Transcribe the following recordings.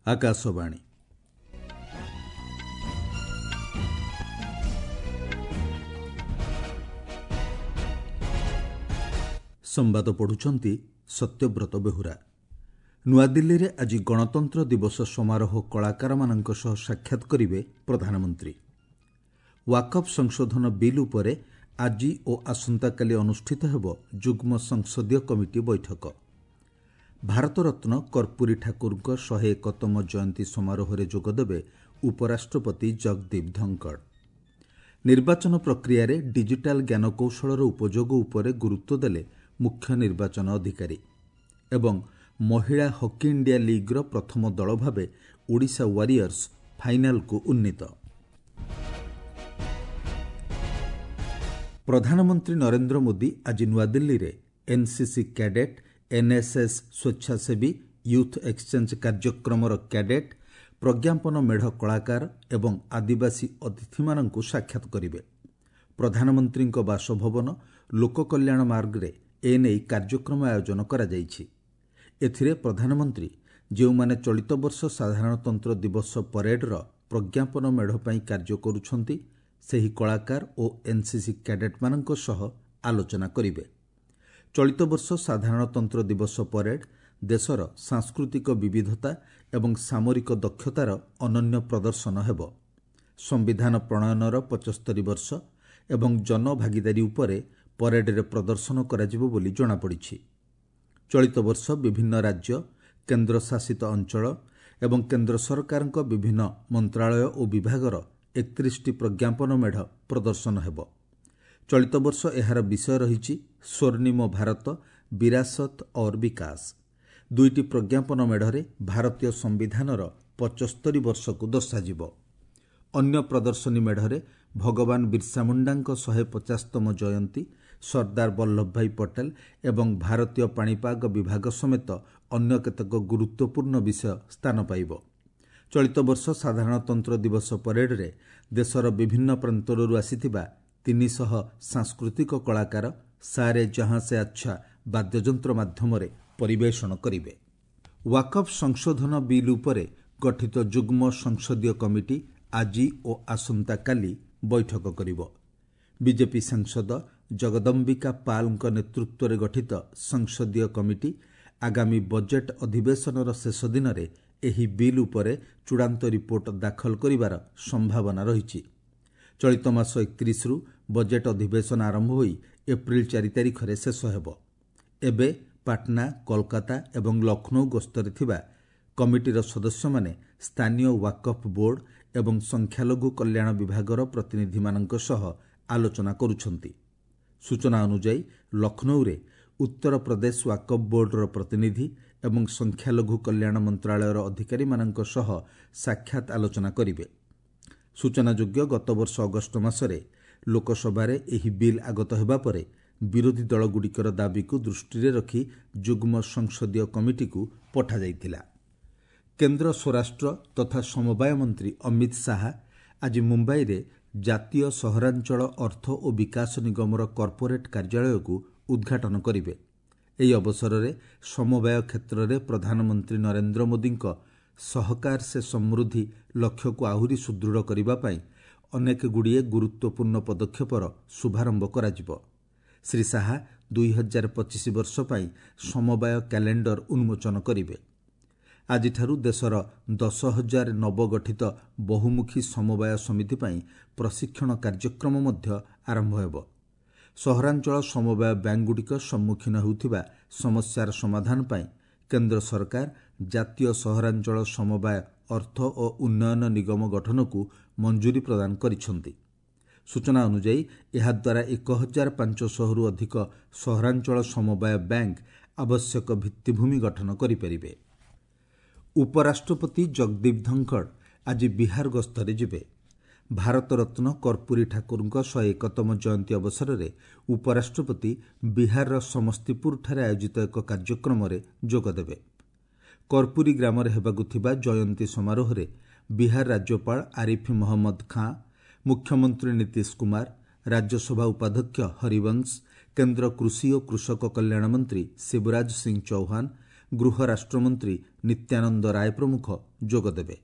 ଆକାଶବାଣୀ। ସମ୍ବାଦ ପଢ଼ୁଛନ୍ତି ସତ୍ୟବ୍ରତ ବେହୁରା। ନୂଆଦିଲ୍ଲୀରେ ଆଜି ଗଣତନ୍ତ୍ର ଦିବସ ସମାରୋହ କଳାକାରମାନଙ୍କ ସହ ସାକ୍ଷାତ କରିବେ ପ୍ରଧାନମନ୍ତ୍ରୀ। ୱାକଫ୍ ସଂଶୋଧନ ବିଲ୍ ଉପରେ ଆଜି ଓ ଆସନ୍ତାକାଲି ଅନୁଷ୍ଠିତ ହେବ ଯୁଗ୍ମ ସଂସଦୀୟ କମିଟି ବୈଠକ। ଭାରତରତ୍ନ କର୍ପୂରୀ ଠାକୁରଙ୍କ 101ତମ ଜୟନ୍ତୀ ସମାରୋହରେ ଯୋଗଦେବେ ଉପରାଷ୍ଟ୍ରପତି ଜଗଦୀପ ଧନଖଡ଼। ନିର୍ବାଚନ ପ୍ରକ୍ରିୟାରେ ଡିଜିଟାଲ ଜ୍ଞାନକୌଶଳର ଉପଯୋଗ ଉପରେ ଗୁରୁତ୍ୱ ଦେଲେ ମୁଖ୍ୟ ନିର୍ବାଚନ ଅଧିକାରୀ। ଏବଂ ମହିଳା ହକି ଇଣ୍ଡିଆ ଲିଗ୍ର ପ୍ରଥମ ଦଳ ଭାବେ ଓଡ଼ିଶା ୱାରିୟର୍ସ ଫାଇନାଲକୁ ଉନ୍ନୀତ। ପ୍ରଧାନମନ୍ତ୍ରୀ ନରେନ୍ଦ୍ର ମୋଦି ଆଜି ନୂଆଦିଲ୍ଲୀରେ ଏନ୍ସିସି କ୍ୟାଡେଟ୍, ଏନ୍ଏସ୍ଏସ୍ ସ୍ୱେଚ୍ଛାସେବୀ, ୟୁଥ୍ ଏକ୍ସଚେଞ୍ଜ କାର୍ଯ୍ୟକ୍ରମର କ୍ୟାଡେଟ୍, ପ୍ରଜ୍ଞାପନ ମେଢ଼ କଳାକାର ଏବଂ ଆଦିବାସୀ ଅତିଥିମାନଙ୍କୁ ସାକ୍ଷାତ କରିବେ। ପ୍ରଧାନମନ୍ତ୍ରୀଙ୍କ ବାସଭବନ ଲୋକକଲ୍ୟାଣ ମାର୍ଗରେ ଏନେଇ କାର୍ଯ୍ୟକ୍ରମ ଆୟୋଜନ କରାଯାଇଛି। ଏଥିରେ ପ୍ରଧାନମନ୍ତ୍ରୀ ଯେଉଁମାନେ ଚଳିତ ବର୍ଷ ସାଧାରଣତନ୍ତ୍ର ଦିବସ ପରେଡ୍ର ପ୍ରଜ୍ଞାପନ ମେଢ଼ ପାଇଁ କାର୍ଯ୍ୟ କରୁଛନ୍ତି, ସେହି କଳାକାର ଓ ଏନ୍ସିସି କ୍ୟାଡେଟ୍ମାନଙ୍କ ସହ ଆଲୋଚନା କରିବେ। ଚଳିତ ବର୍ଷ ସାଧାରଣତନ୍ତ୍ର ଦିବସ ପରେଡ୍ ଦେଶର ସାଂସ୍କୃତିକ ବିବିଧତା ଏବଂ ସାମରିକ ଦକ୍ଷତାର ଅନନ୍ୟ ପ୍ରଦର୍ଶନ ହେବ। ସମ୍ବିଧାନ ପ୍ରଣୟନର 75 ବର୍ଷ ଏବଂ ଜନଭାଗିଦାରୀ ଉପରେ ପରେଡ୍ରେ ପ୍ରଦର୍ଶନ କରାଯିବ ବୋଲି ଜଣାପଡ଼ିଛି। ଚଳିତ ବର୍ଷ ବିଭିନ୍ନ ରାଜ୍ୟ, କେନ୍ଦ୍ରଶାସିତ ଅଞ୍ଚଳ ଏବଂ କେନ୍ଦ୍ର ସରକାରଙ୍କ ବିଭିନ୍ନ ମନ୍ତ୍ରାଳୟ ଓ ବିଭାଗର 31ଟି ପ୍ରଜ୍ଞାପନ ମେଢ଼ ପ୍ରଦର୍ଶନ ହେବ। ଚଳିତ ବର୍ଷ ଏହାର ବିଷୟ ରହିଛି ସ୍ୱର୍ଣ୍ଣିମ ଭାରତ, ବିରାସତ ଔର୍ ବିକାଶ। ଦୁଇଟି ପ୍ରଜ୍ଞାପନ ମେଢ଼ରେ ଭାରତୀୟ ସମ୍ବିଧାନର 75 ବର୍ଷକୁ ଦର୍ଶାଯିବ। ଅନ୍ୟ ପ୍ରଦର୍ଶନୀ ମେଢ଼ରେ ଭଗବାନ ବିର୍ସା ମୁଣ୍ଡାଙ୍କ 150ତମ ଜୟନ୍ତୀ, ସର୍ଦ୍ଦାର ବଲ୍ଲଭଭାଇ ପଟେଲ ଏବଂ ଭାରତୀୟ ପାଣିପାଗ ବିଭାଗ ସମେତ ଅନ୍ୟ କେତେକ ଗୁରୁତ୍ୱପୂର୍ଣ୍ଣ ବିଷୟ ସ୍ଥାନ ପାଇବ। ଚଳିତ ବର୍ଷ ସାଧାରଣତନ୍ତ୍ର ଦିବସ ପରେଡ୍ରେ ଦେଶର ବିଭିନ୍ନ ପ୍ରାନ୍ତରରୁ ଆସିଥିବା 300 ସାଂସ୍କୃତିକ କଳାକାର ସାରେ ଜହାଁ ସେ ଆଚ୍ଛା ବାଦ୍ୟଯନ୍ତ୍ର ମାଧ୍ୟମରେ ପରିବେଷଣ କରିବେ। ୱାକଫ୍ ସଂଶୋଧନ ବିଲ୍ ଉପରେ ଗଠିତ ଯୁଗ୍ମ ସଂସଦୀୟ କମିଟି ଆଜି ଓ ଆସନ୍ତାକାଲି ବୈଠକ କରିବ। ବିଜେପି ସାଂସଦ ଜଗଦମ୍ବିକା ପାଲ୍ଙ୍କ ନେତୃତ୍ୱରେ ଗଠିତ ସଂସଦୀୟ କମିଟି ଆଗାମୀ ବଜେଟ୍ ଅଧିବେଶନର ଶେଷ ଦିନରେ ଏହି ବିଲ୍ ଉପରେ ଚୂଡ଼ାନ୍ତ ରିପୋର୍ଟ ଦାଖଲ କରିବାର ସମ୍ଭାବନା ରହିଛି। ଚଳିତ ମାସ 31ରୁ ବଜେଟ୍ ଅଧିବେଶନ ଆରମ୍ଭ ହୋଇ ଏପ୍ରିଲ 4 ତାରିଖରେ ଶେଷ ହେବ। ଏବେ ପାଟନା, କୋଲକାତା ଏବଂ ଲକ୍ଷ୍ନୌ ଗସ୍ତରେ ଥିବା କମିଟିର ସଦସ୍ୟମାନେ ସ୍ଥାନୀୟ ୱାକଫ୍ ବୋର୍ଡ ଏବଂ ସଂଖ୍ୟାଲଘୁ କଲ୍ୟାଣ ବିଭାଗର ପ୍ରତିନିଧିମାନଙ୍କ ସହ ଆଲୋଚନା କରୁଛନ୍ତି। ସୂଚନା ଅନୁଯାୟୀ ଲକ୍ଷ୍ନୌରେ ଉତ୍ତରପ୍ରଦେଶ ୱାକଫ୍ ବୋର୍ଡର ପ୍ରତିନିଧି ଏବଂ ସଂଖ୍ୟାଲଘୁ କଲ୍ୟାଣ ମନ୍ତ୍ରାଳୟର ଅଧିକାରୀମାନଙ୍କ ସହ ସାକ୍ଷାତ ଆଲୋଚନା କରିବେ। ସୂଚନାଯୋଗ୍ୟ, ଗତବର୍ଷ ଅଗଷ୍ଟ ମାସରେ ଲୋକସଭାରେ ଏହି ବିଲ୍ ଆଗତ ହେବା ପରେ ବିରୋଧୀ ଦଳଗୁଡ଼ିକର ଦାବିକୁ ଦୃଷ୍ଟିରେ ରଖି ଯୁଗ୍ମ ସଂସଦୀୟ କମିଟିକୁ ପଠାଯାଇଥିଲା। କେନ୍ଦ୍ର ସ୍ୱରାଷ୍ଟ୍ର ତଥା ସମବାୟ ମନ୍ତ୍ରୀ ଅମିତ ଶାହା ଆଜି ମୁମ୍ବାଇରେ ଜାତୀୟ ସହରାଞ୍ଚଳ ଅର୍ଥ ଓ ବିକାଶ ନିଗମର କର୍ପୋରେଟ୍ କାର୍ଯ୍ୟାଳୟକୁ ଉଦ୍ଘାଟନ କରିବେ। ଏହି ଅବସରରେ ସମବାୟ କ୍ଷେତ୍ରରେ ପ୍ରଧାନମନ୍ତ୍ରୀ ନରେନ୍ଦ୍ର ମୋଦିଙ୍କ ସହକାର ସେ ସମୃଦ୍ଧି ଲକ୍ଷ୍ୟକୁ ଆହୁରି ସୁଦୃଢ଼ କରିବା ପାଇଁ ଅନେକଗୁଡ଼ିଏ ଗୁରୁତ୍ୱପୂର୍ଣ୍ଣ ପଦକ୍ଷେପର ଶୁଭାରମ୍ଭ କରାଯିବ। ଶ୍ରୀ ଶାହା 2025 ବର୍ଷ ପାଇଁ ସମବାୟ କ୍ୟାଲେଣ୍ଡର ଉନ୍ମୋଚନ କରିବେ। ଆଜିଠାରୁ ଦେଶର 10,000 ନବଗଠିତ ବହୁମୁଖୀ ସମବାୟ ସମିତି ପାଇଁ ପ୍ରଶିକ୍ଷଣ କାର୍ଯ୍ୟକ୍ରମ ମଧ୍ୟ ଆରମ୍ଭ ହେବ। ସହରାଞ୍ଚଳ ସମବାୟ ବ୍ୟାଙ୍କଗୁଡ଼ିକ ସମ୍ମୁଖୀନ ହେଉଥିବା ସମସ୍ୟାର ସମାଧାନ ପାଇଁ କେନ୍ଦ୍ର ସରକାର ଜାତୀୟ ସହରାଞ୍ଚଳ ସମବାୟ ଅର୍ଥ ଓ ଉନ୍ନୟନ ନିଗମ ଗଠନକୁ ମଞ୍ଜୁରୀ ପ୍ରଦାନ କରିଛନ୍ତି। ସୂଚନା ଅନୁଯାୟୀ ଏହାଦ୍ୱାରା 1500ରୁ ଅଧିକ ସହରାଞ୍ଚଳ ସମବାୟ ବ୍ୟାଙ୍କ ଆବଶ୍ୟକ ଭିତ୍ତିଭୂମି ଗଠନ କରିପାରିବେ। ଉପରାଷ୍ଟ୍ରପତି ଜଗଦୀପ ଧନଖଡ଼ ଆଜି ବିହାର ଗସ୍ତରେ ଯିବେ। ଭାରତରତ୍ନ କର୍ପୂରୀ ଠାକୁରଙ୍କ 101ତମ ଜୟନ୍ତୀ ଅବସରରେ ଉପରାଷ୍ଟ୍ରପତି ବିହାରର ସମସ୍ତିପୁରଠାରେ ଆୟୋଜିତ ଏକ କାର୍ଯ୍ୟକ୍ରମରେ ଯୋଗଦେବେ। କର୍ପୂରୀ ଗ୍ରାମରେ ହେବାକୁ ଥିବା ଜୟନ୍ତୀ ସମାରୋହରେ ବିହାର ରାଜ୍ୟପାଳ ଆରିଫ ମହମ୍ମଦ ଖାଁ, ମୁଖ୍ୟମନ୍ତ୍ରୀ ନୀତିଶ କୁମାର, ରାଜ୍ୟସଭା ଉପାଧ୍ୟକ୍ଷ ହରିବଂଶ, କେନ୍ଦ୍ର କୃଷି ଓ କୃଷକ କଲ୍ୟାଣ ମନ୍ତ୍ରୀ ଶିବରାଜ ସିଂ ଚୌହାନ, ଗୃହ ରାଷ୍ଟ୍ରମନ୍ତ୍ରୀ ନିତ୍ୟାନନ୍ଦ ରାୟ ପ୍ରମୁଖ ଯୋଗଦେବେ।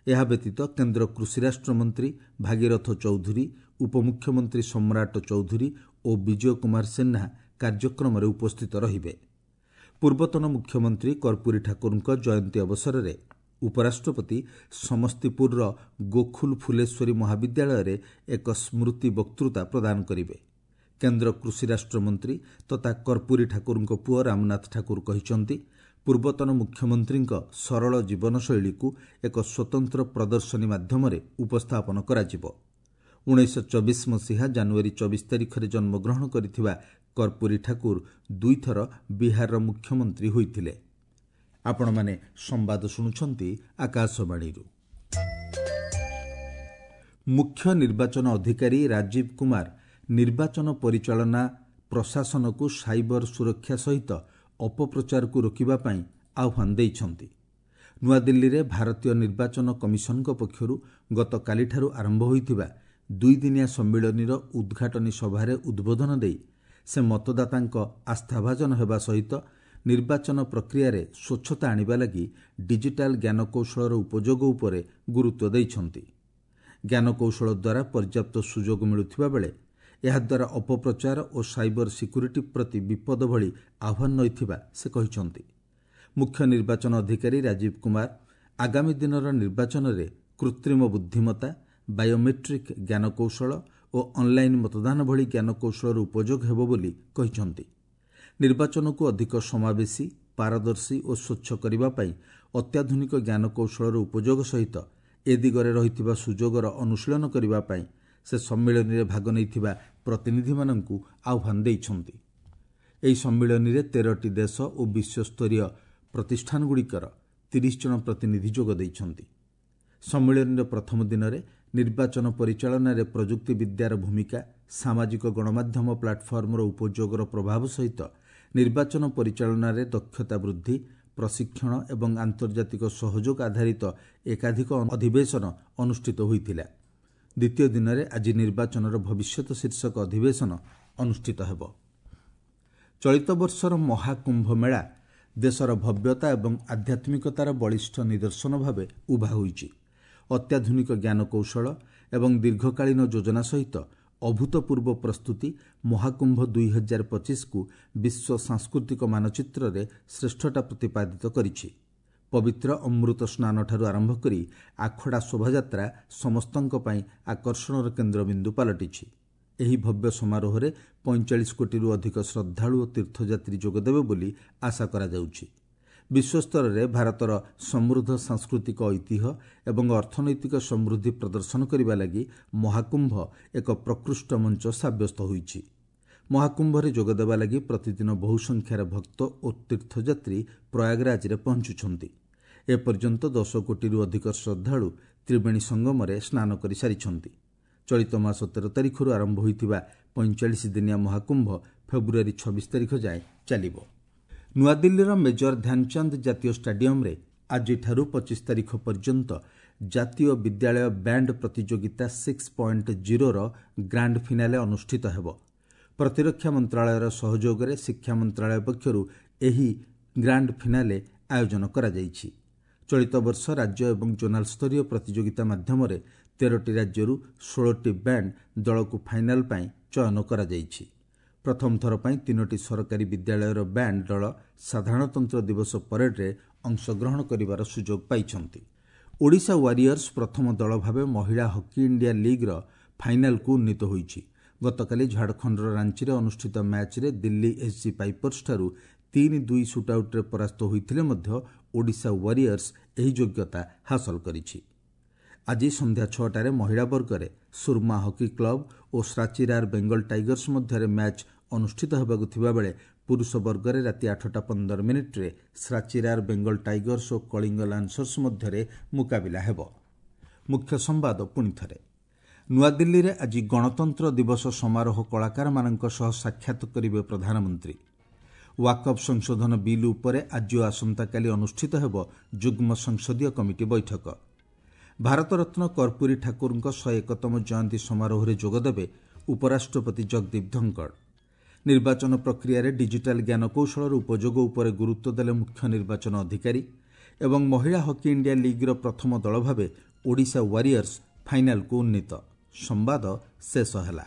ଏହା ବ୍ୟତୀତ କେନ୍ଦ୍ର କୃଷି ରାଷ୍ଟ୍ରମନ୍ତ୍ରୀ ଭାଗୀରଥ ଚୌଧୁରୀ, ଉପମୁଖ୍ୟମନ୍ତ୍ରୀ ସମ୍ରାଟ ଚୌଧୁରୀ ଓ ବିଜୟ କୁମାର ସିହ୍ନା କାର୍ଯ୍ୟକ୍ରମରେ ଉପସ୍ଥିତ ରହିବେ। ପୂର୍ବତନ ମୁଖ୍ୟମନ୍ତ୍ରୀ କର୍ପୂରୀ ଠାକୁରଙ୍କ ଜୟନ୍ତୀ ଅବସରରେ ଉପରାଷ୍ଟ୍ରପତି ସମସ୍ତିପୁରର ଗୋଖୁଲ ଫୁଲେଶ୍ୱରୀ ମହାବିଦ୍ୟାଳୟରେ ଏକ ସ୍ମୃତି ବକ୍ତୃତା ପ୍ରଦାନ କରିବେ। କେନ୍ଦ୍ର କୃଷି ରାଷ୍ଟ୍ରମନ୍ତ୍ରୀ ତଥା କର୍ପୂରୀ ଠାକୁରଙ୍କ ପୁଅ ରାମନାଥ ଠାକୁର କହିଛନ୍ତି, ପୂର୍ବତନ ମୁଖ୍ୟମନ୍ତ୍ରୀଙ୍କ ସରଳ ଜୀବନଶୈଳୀକୁ ଏକ ସ୍ୱତନ୍ତ୍ର ପ୍ରଦର୍ଶନୀ ମାଧ୍ୟମରେ ଉପସ୍ଥାପନ କରାଯିବ। 1924 ମସିହା ଜାନୁଆରୀ 24 ତାରିଖରେ ଜନ୍ମଗ୍ରହଣ କରିଥିବା କର୍ପୂରୀ ଠାକୁର ଦୁଇଥର ବିହାରର ମୁଖ୍ୟମନ୍ତ୍ରୀ ହୋଇଥିଲେ। ଆପଣମାନେ ସମ୍ବାଦ ଶୁଣୁଛନ୍ତି ଆକାଶବାଣୀରୁ। ମୁଖ୍ୟ ନିର୍ବାଚନ ଅଧିକାରୀ ରାଜୀବ କୁମାର ନିର୍ବାଚନ ପରିଚାଳନା ପ୍ରଶାସନକୁ ସାଇବର ସୁରକ୍ଷା ସହିତ ଅପପ୍ରଚାରକୁ ରୋକିବା ପାଇଁ ଆହ୍ୱାନ ଦେଇଛନ୍ତି। ନୂଆଦିଲ୍ଲୀରେ ଭାରତୀୟ ନିର୍ବାଚନ କମିଶନଙ୍କ ପକ୍ଷରୁ ଗତକାଲିଠାରୁ ଆରମ୍ଭ ହୋଇଥିବା ଦୁଇଦିନିଆ ସମ୍ମିଳନୀର ଉଦ୍ଘାଟନୀ ସଭାରେ ଉଦ୍ବୋଧନ ଦେଇ ସେ ମତଦାତାଙ୍କ ଆସ୍ଥାଭାଜନ ହେବା ସହିତ ନିର୍ବାଚନ ପ୍ରକ୍ରିୟାରେ ସ୍ୱଚ୍ଛତା ଆଣିବା ଲାଗି ଡିଜିଟାଲ ଜ୍ଞାନକୌଶଳର ଉପଯୋଗ ଉପରେ ଗୁରୁତ୍ୱ ଦେଇଛନ୍ତି। ଜ୍ଞାନକୌଶଳ ଦ୍ୱାରା ପର୍ଯ୍ୟାପ୍ତ ସୁଯୋଗ ମିଳୁଥିବା ବେଳେ ଏହାଦ୍ୱାରା ଅପପ୍ରଚାର ଓ ସାଇବର ସିକ୍ୟୁରିଟି ପ୍ରତି ବିପଦ ଭଳି ଆହ୍ୱାନ ରହିଥିବା ସେ କହିଛନ୍ତି। ମୁଖ୍ୟ ନିର୍ବାଚନ ଅଧିକାରୀ ରାଜୀବ କୁମାର ଆଗାମୀ ଦିନର ନିର୍ବାଚନରେ କୃତ୍ରିମ ବୁଦ୍ଧିମତ୍ତା, ବାୟୋମେଟ୍ରିକ୍ ଜ୍ଞାନକୌଶଳ ଓ ଅନ୍ଲାଇନ୍ ମତଦାନ ଭଳି ଜ୍ଞାନକୌଶଳର ଉପଯୋଗ ହେବ ବୋଲି କହିଛନ୍ତି। ନିର୍ବାଚନକୁ ଅଧିକ ସମାବେଶୀ, ପାରଦର୍ଶୀ ଓ ସ୍ୱଚ୍ଛ କରିବା ପାଇଁ ଅତ୍ୟାଧୁନିକ ଜ୍ଞାନକୌଶଳର ଉପଯୋଗ ସହିତ ଏ ଦିଗରେ ରହିଥିବା ସୁଯୋଗର ଅନୁଶୀଳନ କରିବା ପାଇଁ ସେ ସମ୍ମିଳନୀରେ ଭାଗ ନେଇଥିବା ପ୍ରତିନିଧିମାନଙ୍କୁ ଆହ୍ୱାନ ଦେଇଛନ୍ତି। ଏହି ସମ୍ମିଳନୀରେ 13ଟି ଦେଶ ଓ ବିଶ୍ୱସ୍ତରୀୟ ପ୍ରତିଷ୍ଠାନଗୁଡ଼ିକର 30 ଜଣ ପ୍ରତିନିଧି ଯୋଗ ଦେଇଛନ୍ତି। ସମ୍ମିଳନୀର ପ୍ରଥମ ଦିନରେ ନିର୍ବାଚନ ପରିଚାଳନାରେ ପ୍ରଯୁକ୍ତିବିଦ୍ୟାର ଭୂମିକା, ସାମାଜିକ ଗଣମାଧ୍ୟମ ପ୍ଲାଟଫର୍ମର ଉପଯୋଗର ପ୍ରଭାବ ସହିତ ନିର୍ବାଚନ ପରିଚାଳନାରେ ଦକ୍ଷତା ବୃଦ୍ଧି, ପ୍ରଶିକ୍ଷଣ ଏବଂ ଆନ୍ତର୍ଜାତିକ ସହଯୋଗ ଆଧାରିତ ଏକାଧିକ ଅଧିବେଶନ ଅନୁଷ୍ଠିତ ହୋଇଥିଲା। ଦ୍ୱିତୀୟ ଦିନରେ ଆଜି ନିର୍ବାଚନର ଭବିଷ୍ୟତ ଶୀର୍ଷକ ଅଧିବେଶନ ଅନୁଷ୍ଠିତ ହେବ। ଚଳିତ ବର୍ଷର ମହାକୁମ୍ଭ ମେଳା ଦେଶର ଭବ୍ୟତା ଏବଂ ଆଧ୍ୟାତ୍ମିକତାର ବଳିଷ୍ଠ ନିଦର୍ଶନ ଭାବେ ଉଭା ହୋଇଛି। ଅତ୍ୟାଧୁନିକ ଜ୍ଞାନକୌଶଳ ଏବଂ ଦୀର୍ଘକାଳୀନ ଯୋଜନା ସହିତ ଅଭୂତପୂର୍ବ ପ୍ରସ୍ତୁତି ମହାକୁମ୍ଭ 2025କୁ ବିଶ୍ୱ ସାଂସ୍କୃତିକ ମାନଚିତ୍ରରେ ଶ୍ରେଷ୍ଠତା ପ୍ରତିପାଦିତ କରିଛି। ପବିତ୍ର ଅମୃତ ସ୍ନାନଠାରୁ ଆରମ୍ଭ କରି ଆଖଡ଼ା ଶୋଭାଯାତ୍ରା ସମସ୍ତଙ୍କ ପାଇଁ ଆକର୍ଷଣର କେନ୍ଦ୍ରବିନ୍ଦୁ ପାଲଟିଛି। ଏହି ଭବ୍ୟ ସମାରୋହରେ 45 କୋଟିରୁ ଅଧିକ ଶ୍ରଦ୍ଧାଳୁ ଓ ତୀର୍ଥଯାତ୍ରୀ ଯୋଗଦେବେ ବୋଲି ଆଶା କରାଯାଉଛି। ବିଶ୍ୱସ୍ତରରେ ଭାରତର ସମୃଦ୍ଧ ସାଂସ୍କୃତିକ ଐତିହ୍ୟ ଏବଂ ଅର୍ଥନୈତିକ ସମୃଦ୍ଧି ପ୍ରଦର୍ଶନ କରିବା ଲାଗି ମହାକୁମ୍ଭ ଏକ ପ୍ରକୃଷ୍ଟ ମଞ୍ଚ ସାବ୍ୟସ୍ତ ହୋଇଛି। ମହାକୁମ୍ଭରେ ଯୋଗଦେବା ଲାଗି ପ୍ରତିଦିନ ବହୁ ସଂଖ୍ୟାରେ ଭକ୍ତ ଓ ତୀର୍ଥଯାତ୍ରୀ ପ୍ରୟାଗରାଜରେ ପହଞ୍ଚୁଛନ୍ତି। ଏପର୍ଯ୍ୟନ୍ତ 10 କୋଟିରୁ ଅଧିକ ଶ୍ରଦ୍ଧାଳୁ ତ୍ରିବେଣୀ ସଙ୍ଗମରେ ସ୍ନାନ କରିସାରିଛନ୍ତି। ଚଳିତ ମାସ 13 ତାରିଖରୁ ଆରମ୍ଭ ହୋଇଥିବା 45 ଦିନିଆ ମହାକୁମ୍ଭ ଫେବୃଆରୀ 26 ତାରିଖ ଯାଏଁ ଚାଲିବ। ନୂଆଦିଲ୍ଲୀର ମେଜର ଧ୍ୟାନଚାନ୍ଦ ଜାତୀୟ ଷ୍ଟାଡିୟମ୍ରେ ଆଜିଠାରୁ 25 ତାରିଖ ପର୍ଯ୍ୟନ୍ତ ଜାତୀୟ ବିଦ୍ୟାଳୟ ବ୍ୟାଣ୍ଡ ପ୍ରତିଯୋଗିତା 6.0ର ଗ୍ରାଣ୍ଡ ଫିନାଲେ ଅନୁଷ୍ଠିତ ହେବ। ପ୍ରତିରକ୍ଷା ମନ୍ତ୍ରଣାଳୟର ସହଯୋଗରେ ଶିକ୍ଷା ମନ୍ତ୍ରଣାଳୟ ପକ୍ଷରୁ ଏହି ଗ୍ରାଣ୍ଡ ଫିନାଲେ ଆୟୋଜନ କରାଯାଇଛି। ଚଳିତ ବର୍ଷ ରାଜ୍ୟ ଏବଂ ଜୋନାଲ ସ୍ତରୀୟ ପ୍ରତିଯୋଗିତା ମାଧ୍ୟମରେ 13ଟି ରାଜ୍ୟରୁ 16ଟି ବ୍ୟାଣ୍ଡ ଦଳକୁ ଫାଇନାଲ ପାଇଁ ଚୟନ କରାଯାଇଛି। ପ୍ରଥମ ଥର ପାଇଁ 3ଟି ସରକାରୀ ବିଦ୍ୟାଳୟର ବ୍ୟାଣ୍ଡ ଦଳ ସାଧାରଣତନ୍ତ୍ର ଦିବସ ପରେଡରେ ଅଂଶଗ୍ରହଣ କରିବାର ସୁଯୋଗ ପାଇଛନ୍ତି। ଓଡ଼ିଶା ୱାରିୟର୍ସ ପ୍ରଥମ ଦଳ ଭାବେ ମହିଳା ହକି ଇଣ୍ଡିଆ ଲିଗ୍ର ଫାଇନାଲକୁ ଉନ୍ନୀତ ହୋଇଛି। ଗତକାଲି ଝାଡ଼ଖଣ୍ଡର ରାଞ୍ଚିରେ ଅନୁଷ୍ଠିତ ମ୍ୟାଚ୍ରେ ଦିଲ୍ଲୀ ଏସ୍ଜି ପାଇପର୍ସଠାରୁ 3-2 ସୁଟ୍ଆଉଟ୍ରେ ପରାସ୍ତ ହୋଇଥିଲେ ମଧ୍ୟ ଓଡ଼ିଶା ୱାରିୟର୍ସ ଏହି ଯୋଗ୍ୟତା ହାସଲ କରିଛି। ଆଜି ସନ୍ଧ୍ୟା 6ଟାରେ ମହିଳା ବର୍ଗରେ ସୁରମା ହକି କ୍ଲବ ଓ ଶ୍ରାଚିରାର ବେଙ୍ଗଲ ଟାଇଗର୍ସ ମଧ୍ୟରେ ମ୍ୟାଚ୍ ଅନୁଷ୍ଠିତ ହେବାକୁ ଥିବାବେଳେ ପୁରୁଷ ବର୍ଗରେ ରାତି 8ଟା 15 ମିନିଟ୍ରେ ଶ୍ରାଚିରାର ବେଙ୍ଗଲ ଟାଇଗର୍ସ ଓ କଳିଙ୍ଗ ଲାନ୍ସର୍ସ ମଧ୍ୟରେ ମୁକାବିଲା ହେବ। ମୁଖ୍ୟ ସମ୍ବାଦ ପୁଣିଥରେ। ନୂଆଦିଲ୍ଲୀରେ ଆଜି ଗଣତନ୍ତ୍ର ଦିବସ ସମାରୋହ କଳାକାରମାନଙ୍କ ସହ ସାକ୍ଷାତ କରିବେ ପ୍ରଧାନମନ୍ତ୍ରୀ। ୱାକଫ୍ ସଂଶୋଧନ ବିଲ୍ ଉପରେ ଆଜି ଓ ଆସନ୍ତାକାଲି ଅନୁଷ୍ଠିତ ହେବ ଯୁଗ୍ମ ସଂସଦୀୟ କମିଟି ବୈଠକ। ଭାରତରତ୍ନ କର୍ପୂରୀ ଠାକୁରଙ୍କ 101ତମ ଜୟନ୍ତୀ ସମାରୋହରେ ଯୋଗଦେବେ ଉପରାଷ୍ଟ୍ରପତି ଜଗଦୀପ ଧନଖଡ଼। ନିର୍ବାଚନ ପ୍ରକ୍ରିୟାରେ ଡିଜିଟାଲ ଜ୍ଞାନକୌଶଳର ଉପଯୋଗ ଉପରେ ଗୁରୁତ୍ୱ ଦେଲେ ମୁଖ୍ୟ ନିର୍ବାଚନ ଅଧିକାରୀ। ଏବଂ ମହିଳା ହକି ଇଣ୍ଡିଆ ଲିଗ୍ର ପ୍ରଥମ ଦଳ ଭାବେ ଓଡ଼ିଶା ୱାରିୟର୍ସ ଫାଇନାଲକୁ ଉନ୍ନୀତ। ସମ୍ବାଦ ଶେଷ ହେଲା।